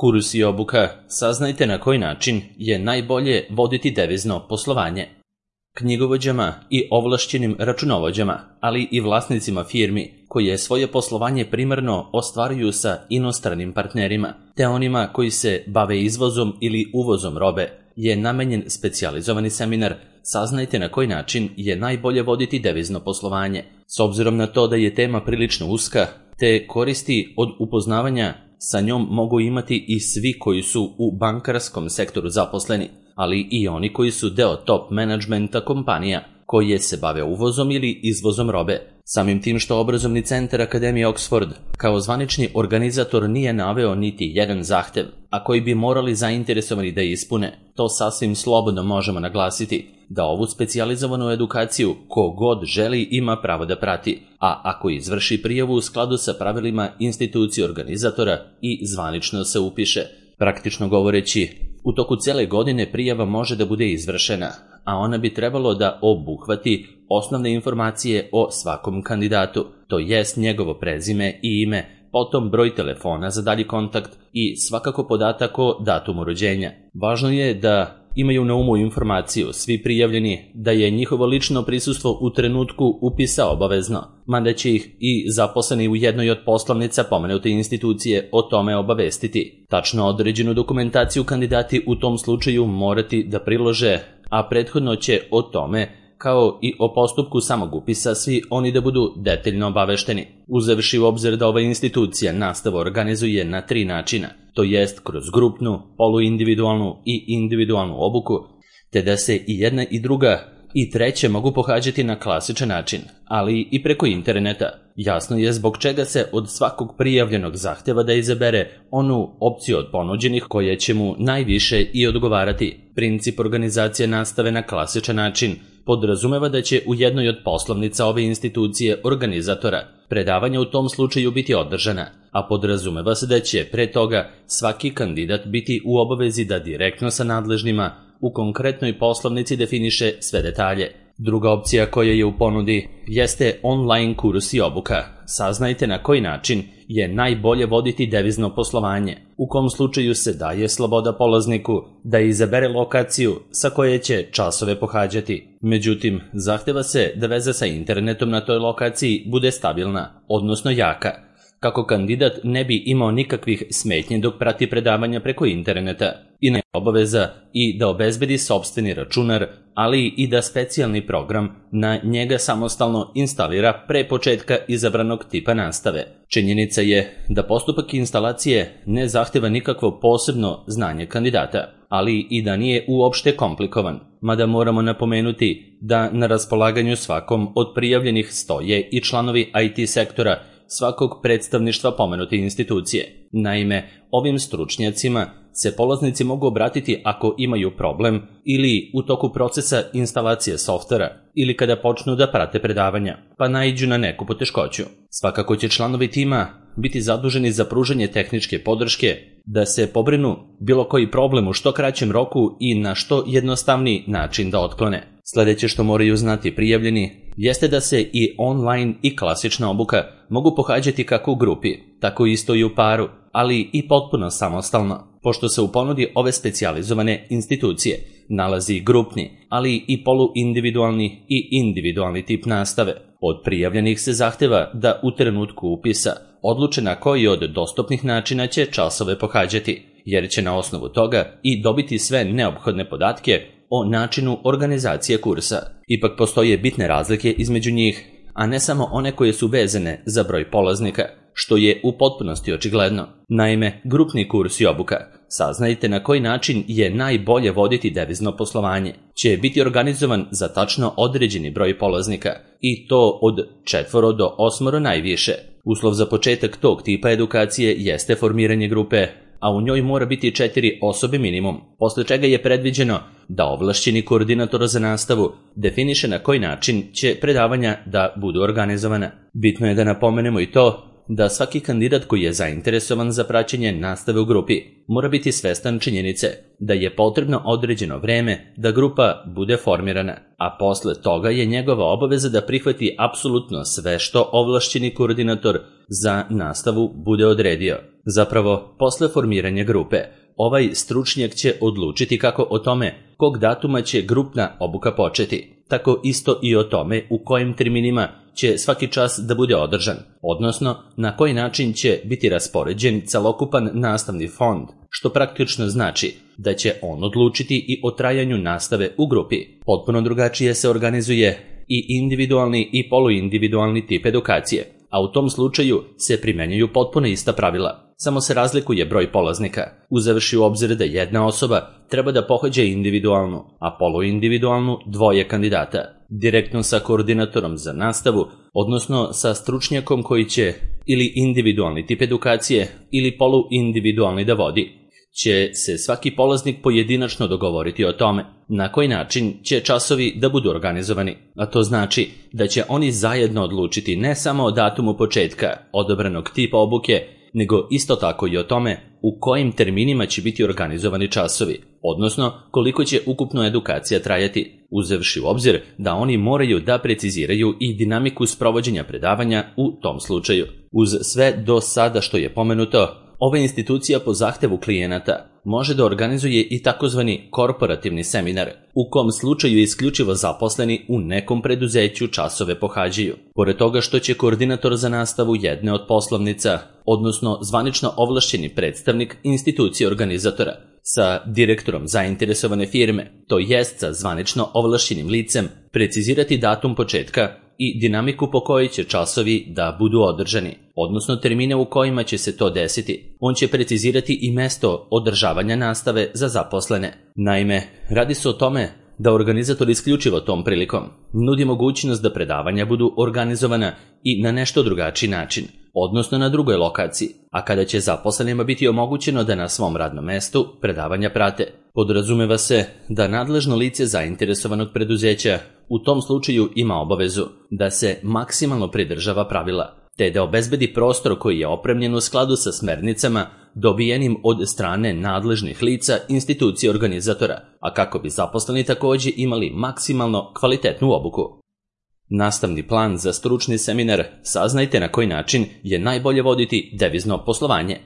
Kurs i obuka, saznajte na koji način je najbolje voditi devizno poslovanje. Knjigovođama i ovlašćenim računovođama, ali i vlasnicima firmi koje svoje poslovanje primarno ostvaruju sa inostranim partnerima, te onima koji se bave izvozom ili uvozom robe, je namenjen specijalizovani seminar Saznajte na koji način je najbolje voditi devizno poslovanje. S obzirom na to da je tema prilično uska, te koristi od upoznavanja sa njom mogu imati i svi koji su u bankarskom sektoru zaposleni, ali i oni koji su deo top menadžmenta kompanija koje se bave uvozom ili izvozom robe. Samim tim što obrazovni centar Akademije Oxford kao zvanični organizator nije naveo niti jedan zahtev, a koji bi morali zainteresovani da ispune, to sasvim slobodno možemo naglasiti da ovu specijalizovanu edukaciju ko god želi ima pravo da prati, a ako izvrši prijavu u skladu sa pravilima institucije organizatora i zvanično se upiše. Praktično govoreći, u toku cele godine prijava može da bude izvršena, a ona bi trebalo da obuhvati osnovne informacije o svakom kandidatu, to jest njegovo prezime i ime, potom broj telefona za dalji kontakt i svakako podatak o datumu rođenja. Važno je da imaju na umu informaciju svi prijavljeni da je njihovo lično prisustvo u trenutku upisa obavezno, mada će ih i zaposleni u jednoj od poslovnica pomenute institucije o tome obavestiti. Tačno određenu dokumentaciju kandidati u tom slučaju morati da prilože, a prethodno će o tome, kao i o postupku samog upisa, svi oni da budu detaljno obavešteni. Uzevši u obzir da ova institucija nastavu organizuje na 3 načina, to jest kroz grupnu, poluindividualnu i individualnu obuku, te da se i jedna i druga i treće mogu pohađati na klasičan način, ali i preko interneta. Jasno je zbog čega se od svakog prijavljenog zahteva da izabere onu opciju od ponuđenih koja će mu najviše i odgovarati. Princip organizacije nastave na klasičan način podrazumeva da će u jednoj od poslovnica ove institucije organizatora predavanja u tom slučaju biti održana, a podrazumeva se da će pre toga svaki kandidat biti u obavezi da direktno sa nadležnima u konkretnoj poslovnici definiše sve detalje. Druga opcija koja je u ponudi jeste online kurs i obuka. Saznajte na koji način je najbolje voditi devizno poslovanje, u kom slučaju se daje sloboda polazniku da izabere lokaciju sa koje će časove pohađati. Međutim, zahteva se da veza sa internetom na toj lokaciji bude stabilna, odnosno jaka, kako kandidat ne bi imao nikakvih smetnji dok prati predavanja preko interneta i ne obaveza i da obezbedi sopstveni računar, ali i da specijalni program na njega samostalno instalira pre početka izabranog tipa nastave. Činjenica je da postupak instalacije ne zahteva nikakvo posebno znanje kandidata, ali i da nije uopšte komplikovan, mada moramo napomenuti da na raspolaganju svakom od prijavljenih stoje i članovi IT sektora svakog predstavništva pomenute institucije. Naime, ovim stručnjacima se polaznici mogu obratiti ako imaju problem ili u toku procesa instalacije softvera ili kada počnu da prate predavanja, pa naiđu na neku poteškoću. Svakako će članovi tima biti zaduženi za pružanje tehničke podrške, da se pobrinu bilo koji problem u što kraćem roku i na što jednostavniji način da otklone. Sledeće što moraju znati prijavljeni jeste da se i online i klasična obuka mogu pohađati kako u grupi, tako isto i u paru, ali i potpuno samostalno, pošto se u ponudi ove specijalizovane institucije nalazi grupni, ali i poluindividualni i individualni tip nastave. Od prijavljenih se zahteva da u trenutku upisa odluče na koji od dostupnih načina će časove pohađati, jer će na osnovu toga i dobiti sve neophodne podatke o načinu organizacije kursa. Ipak postoje bitne razlike između njih, a ne samo one koje su vezane za broj polaznika, što je u potpunosti očigledno. Naime, grupni kurs i obuka, saznajte na koji način je najbolje voditi devizno poslovanje, će biti organizovan za tačno određeni broj polaznika, i to od 4 do 8 najviše. Uslov za početak tog tipa edukacije jeste formiranje grupe, a u njoj mora biti 4 osobe minimum, posle čega je predviđeno da ovlašćeni koordinator za nastavu definiše na koji način će predavanja da budu organizovana. Bitno je da napomenemo i to da svaki kandidat koji je zainteresovan za praćenje nastave u grupi mora biti svestan činjenice da je potrebno određeno vreme da grupa bude formirana, a posle toga je njegova obaveza da prihvati apsolutno sve što ovlašćeni koordinator za nastavu bude odredio. Zapravo, posle formiranja grupe, ovaj stručnjak će odlučiti kako o tome kog datuma će grupna obuka početi, tako isto i o tome u kojim terminima će svaki čas da bude održan, odnosno na koji način će biti raspoređen celokupan nastavni fond, što praktično znači da će on odlučiti i o trajanju nastave u grupi. Potpuno drugačije se organizuje i individualni i poluindividualni tip edukacije, a u tom slučaju se primenjuju potpuno ista pravila. Samo se razlikuje broj polaznika, uzevši u obzir da jedna osoba treba da pohađa individualnu, a poluindividualnu dvoje kandidata, direktno sa koordinatorom za nastavu, odnosno sa stručnjakom koji će ili individualni tip edukacije ili poluindividualni da vodi. Će se svaki polaznik pojedinačno dogovoriti o tome na koji način će časovi da budu organizovani, a to znači da će oni zajedno odlučiti ne samo o datumu početka odabranog tipa obuke, nego isto tako i o tome u kojim terminima će biti organizovani časovi, odnosno koliko će ukupno edukacija trajati, uzevši u obzir da oni moraju da preciziraju i dinamiku sprovođenja predavanja u tom slučaju. Uz sve do sada što je pomenuto, ova institucija po zahtevu klijenata može da organizuje i takozvani korporativni seminar, u kom slučaju isključivo zaposleni u nekom preduzeću časove pohađaju. Pored toga što će koordinator za nastavu jedne od poslovnica, odnosno zvanično ovlašćeni predstavnik institucije organizatora, sa direktorom zainteresovane firme, to jest sa zvanično ovlašćenim licem, precizirati datum početka i dinamiku po kojoj će časovi da budu održani, odnosno termine u kojima će se to desiti. On će precizirati i mesto održavanja nastave za zaposlene. Naime, radi se o tome da organizator isključivo tom prilikom nudi mogućnost da predavanja budu organizovana i na nešto drugačiji način, odnosno na drugoj lokaciji, a kada će zaposlenima biti omogućeno da na svom radnom mestu predavanja prate. Podrazumeva se da nadležno lice zainteresovanog preduzeća u tom slučaju ima obavezu da se maksimalno pridržava pravila, te da obezbedi prostor koji je opremljen u skladu sa smernicama dobijenim od strane nadležnih lica institucije organizatora, a kako bi zaposleni također imali maksimalno kvalitetnu obuku. Nastavni plan za stručni seminar saznajte na koji način je najbolje voditi devizno poslovanje.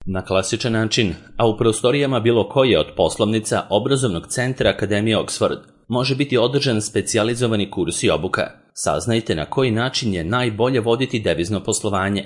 Na klasičan način, a u prostorijama bilo koje od poslovnica obrazovnog centra Akademije Oxford, može biti održan specijalizovani kurs i obuka. Saznajte na koji način je najbolje voditi devizno poslovanje,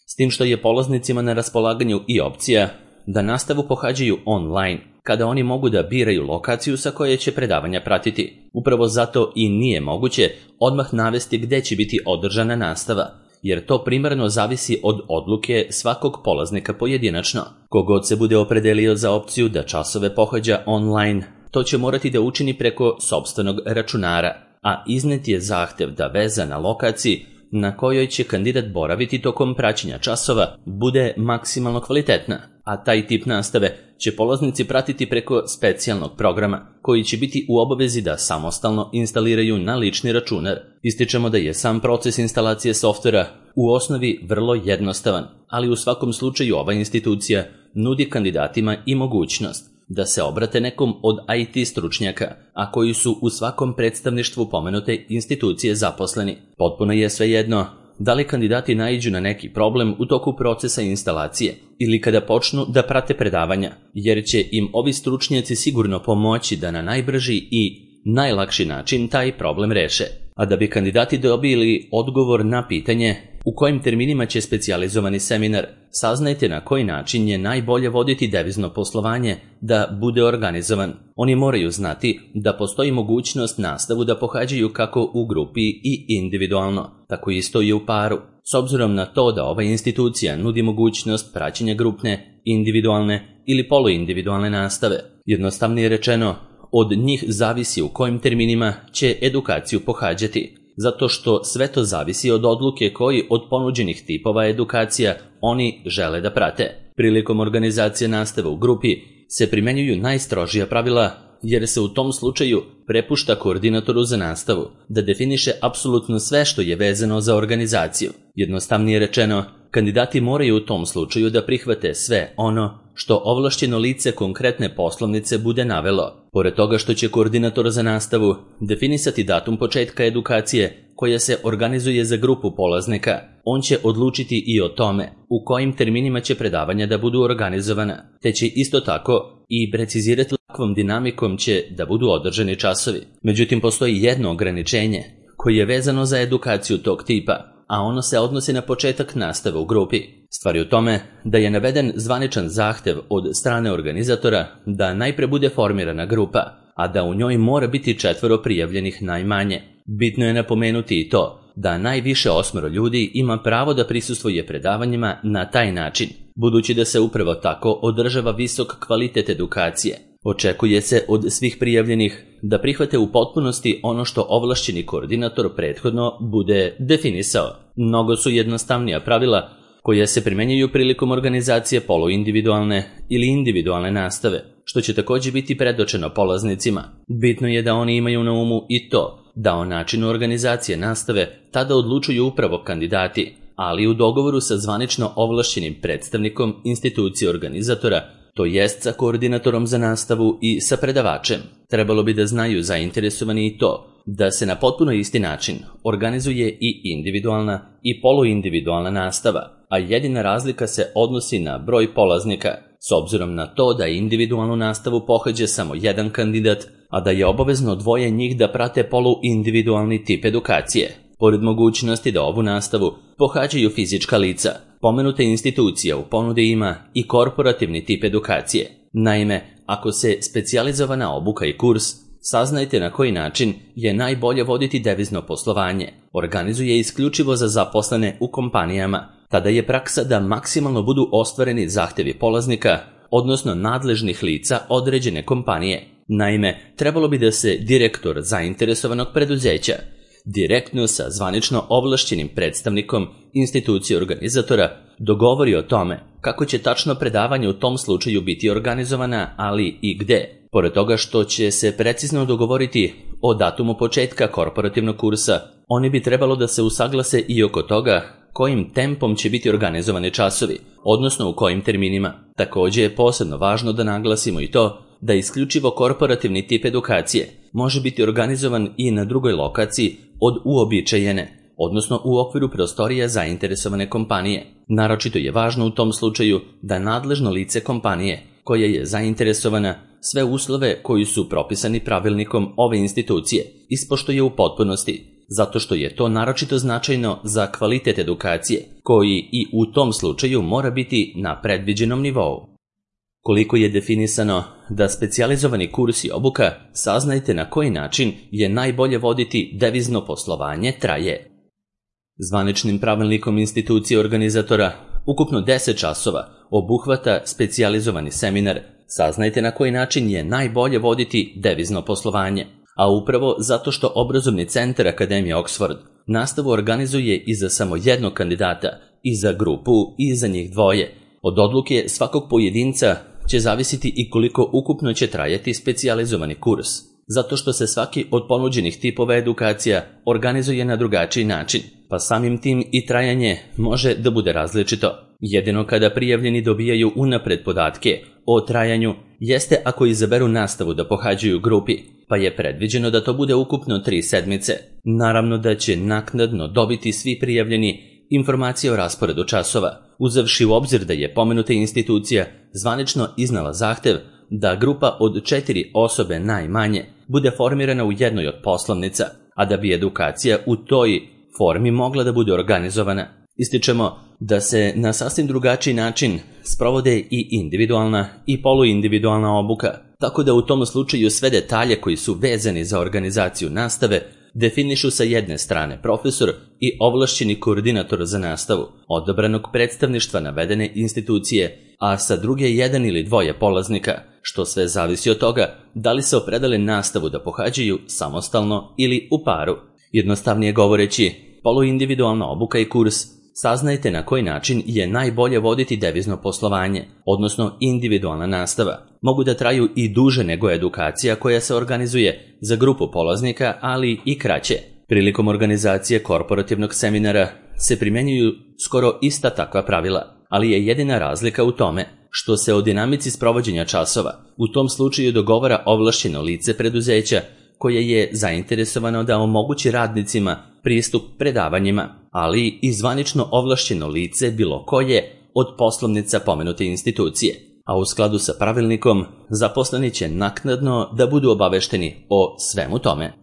s tim što je polaznicima na raspolaganju i opcija da nastavu pohađaju online, kada oni mogu da biraju lokaciju sa koje će predavanja pratiti. Upravo zato i nije moguće odmah navesti gde će biti održana nastava, jer to primarno zavisi od odluke svakog polaznika pojedinačno. Kogod se bude opredelio za opciju da časove pohađa online, to će morati da učini preko sopstvenog računara, a iznet je zahtev da veza na lokaciji na kojoj će kandidat boraviti tokom praćenja časova bude maksimalno kvalitetna, a taj tip nastave će polaznici pratiti preko specijalnog programa koji će biti u obavezi da samostalno instaliraju na lični računar. Ističemo da je sam proces instalacije softvera u osnovi vrlo jednostavan, ali u svakom slučaju ova institucija nudi kandidatima i mogućnost da se obrate nekom od IT stručnjaka, a koji su u svakom predstavništvu pomenute institucije zaposleni. Potpuno je svejedno da li kandidati naiđu na neki problem u toku procesa instalacije ili kada počnu da prate predavanja, jer će im ovi stručnjaci sigurno pomoći da na najbrži i najlakši način taj problem reše. A da bi kandidati dobili odgovor na pitanje u kojim terminima će specijalizovani seminar, saznajte na koji način je najbolje voditi devizno poslovanje da bude organizovan. Oni moraju znati da postoji mogućnost nastavu da pohađaju kako u grupi i individualno, tako isto i u paru. S obzirom na to da ova institucija nudi mogućnost praćenja grupne, individualne ili poluindividualne nastave, jednostavnije rečeno, od njih zavisi u kojim terminima će edukaciju pohađati, zato što sve to zavisi od odluke koji od ponuđenih tipova edukacija oni žele da prate. Prilikom organizacije nastave u grupi se primenjuju najstrožija pravila jer se u tom slučaju prepušta koordinatoru za nastavu da definiše apsolutno sve što je vezano za organizaciju. Jednostavnije rečeno, kandidati moraju u tom slučaju da prihvate sve ono što ovlašćeno lice konkretne poslovnice bude navelo. Pored toga što će koordinator za nastavu definisati datum početka edukacije koja se organizuje za grupu polaznika, on će odlučiti i o tome u kojim terminima će predavanja da budu organizovana, te će isto tako i precizirati kakvom dinamikom će da budu održani časovi. Međutim, postoji jedno ograničenje koje je vezano za edukaciju tog tipa, a ono se odnosi na početak nastave u grupi. Stvar je u tome da je naveden zvaničan zahtev od strane organizatora da najpre bude formirana grupa, a da u njoj mora biti 4 prijavljenih najmanje. Bitno je napomenuti i to da najviše 8 ljudi ima pravo da prisustvuje predavanjima na taj način, budući da se upravo tako održava visok kvalitet edukacije. Očekuje se od svih prijavljenih da prihvate u potpunosti ono što ovlašćeni koordinator prethodno bude definisao. Mnogo su jednostavnija pravila koja se primenjuju prilikom organizacije poluindividualne ili individualne nastave, što će također biti predočeno polaznicima. Bitno je da oni imaju na umu i to da o načinu organizacije nastave tada odlučuju upravo kandidati, ali u dogovoru sa zvanično ovlašćenim predstavnikom institucije organizatora, to jest sa koordinatorom za nastavu i sa predavačem. Trebalo bi da znaju zainteresovani i to da se na potpuno isti način organizuje i individualna i poluindividualna nastava, a jedina razlika se odnosi na broj polaznika, s obzirom na to da individualnu nastavu pohađa samo jedan kandidat, a da je obavezno 2 njih da prate poluindividualni tip edukacije. Pored mogućnosti da ovu nastavu pohađaju fizička lica, pomenuta institucija u ponudi ima i korporativni tip edukacije. Naime, ako se specijalizovana obuka i kurs Saznajte na koji način je najbolje voditi devizno poslovanje, organizuje isključivo za zaposlene u kompanijama. Tada je praksa da maksimalno budu ostvareni zahtevi polaznika, odnosno nadležnih lica određene kompanije. Naime, trebalo bi da se direktor zainteresovanog preduzeća direktno sa zvanično ovlašćenim predstavnikom institucije organizatora dogovori o tome kako će tačno predavanje u tom slučaju biti organizovana, ali i gde. Pored toga što će se precizno dogovoriti o datumu početka korporativnog kursa, oni bi trebalo da se usaglase i oko toga kojim tempom će biti organizovani časovi, odnosno u kojim terminima. Također je posebno važno da naglasimo i to da isključivo korporativni tip edukacije može biti organizovan i na drugoj lokaciji od uobičajene, odnosno u okviru prostorija zainteresovane kompanije. Naročito je važno u tom slučaju da nadležno lice kompanije koja je zainteresovana sve uslove koji su propisani pravilnikom ove institucije ispoštuje u potpunosti, zato što je to naročito značajno za kvalitet edukacije, koji i u tom slučaju mora biti na predviđenom nivou. Koliko je definisano da specijalizovani kurs i obuka, saznajte na koji način je najbolje voditi devizno poslovanje traje. Zvaničnim pravilnikom institucije organizatora ukupno 10 časova obuhvata specijalizovani seminar Saznajte na koji način je najbolje voditi devizno poslovanje, a upravo zato što obrazovni centar Akademije Oxford nastavu organizuje i za samo jednog kandidata, i za grupu, i za njih dvoje. Od odluke svakog pojedinca će zavisiti i koliko ukupno će trajati specijalizovani kurs, zato što se svaki od ponuđenih tipova edukacija organizuje na drugačiji način, pa samim tim i trajanje može da bude različito. Jedino kada prijavljeni dobijaju unapred podatke o trajanju jeste ako izaberu nastavu da pohađaju grupi, pa je predviđeno da to bude ukupno 3 sedmice. Naravno da će naknadno dobiti svi prijavljeni informacije o rasporedu časova, uzevši u obzir da je pomenuta institucija zvanično iznala zahtev da grupa od 4 osobe najmanje bude formirana u jednoj od poslovnica, a da bi edukacija u toj formi mogla da bude organizovana. Ističemo da se na sasvim drugačiji način sprovode i individualna i poluindividualna obuka, tako da u tom slučaju sve detalje koji su vezani za organizaciju nastave definišu sa jedne strane profesor i ovlašćeni koordinator za nastavu odabranog predstavništva navedene institucije, a sa druge 1 ili 2 polaznika, što sve zavisi od toga da li se opredele nastavu da pohađaju samostalno ili u paru. Jednostavnije govoreći, poluindividualna obuka i kurs Saznajte na koji način je najbolje voditi devizno poslovanje, odnosno individualna nastava, mogu da traju i duže nego edukacija koja se organizuje za grupu polaznika, ali i kraće. Prilikom organizacije korporativnog seminara se primjenjuju skoro ista takva pravila, ali je jedina razlika u tome što se o dinamici sprovođenja časova u tom slučaju dogovara ovlašćeno lice preduzeća koje je zainteresovano da omogući radnicima pristup predavanjima, ali i zvanično ovlašćeno lice bilo koje od poslovnica pomenute institucije, a u skladu sa pravilnikom zaposleni će naknadno da budu obavešteni o svemu tome.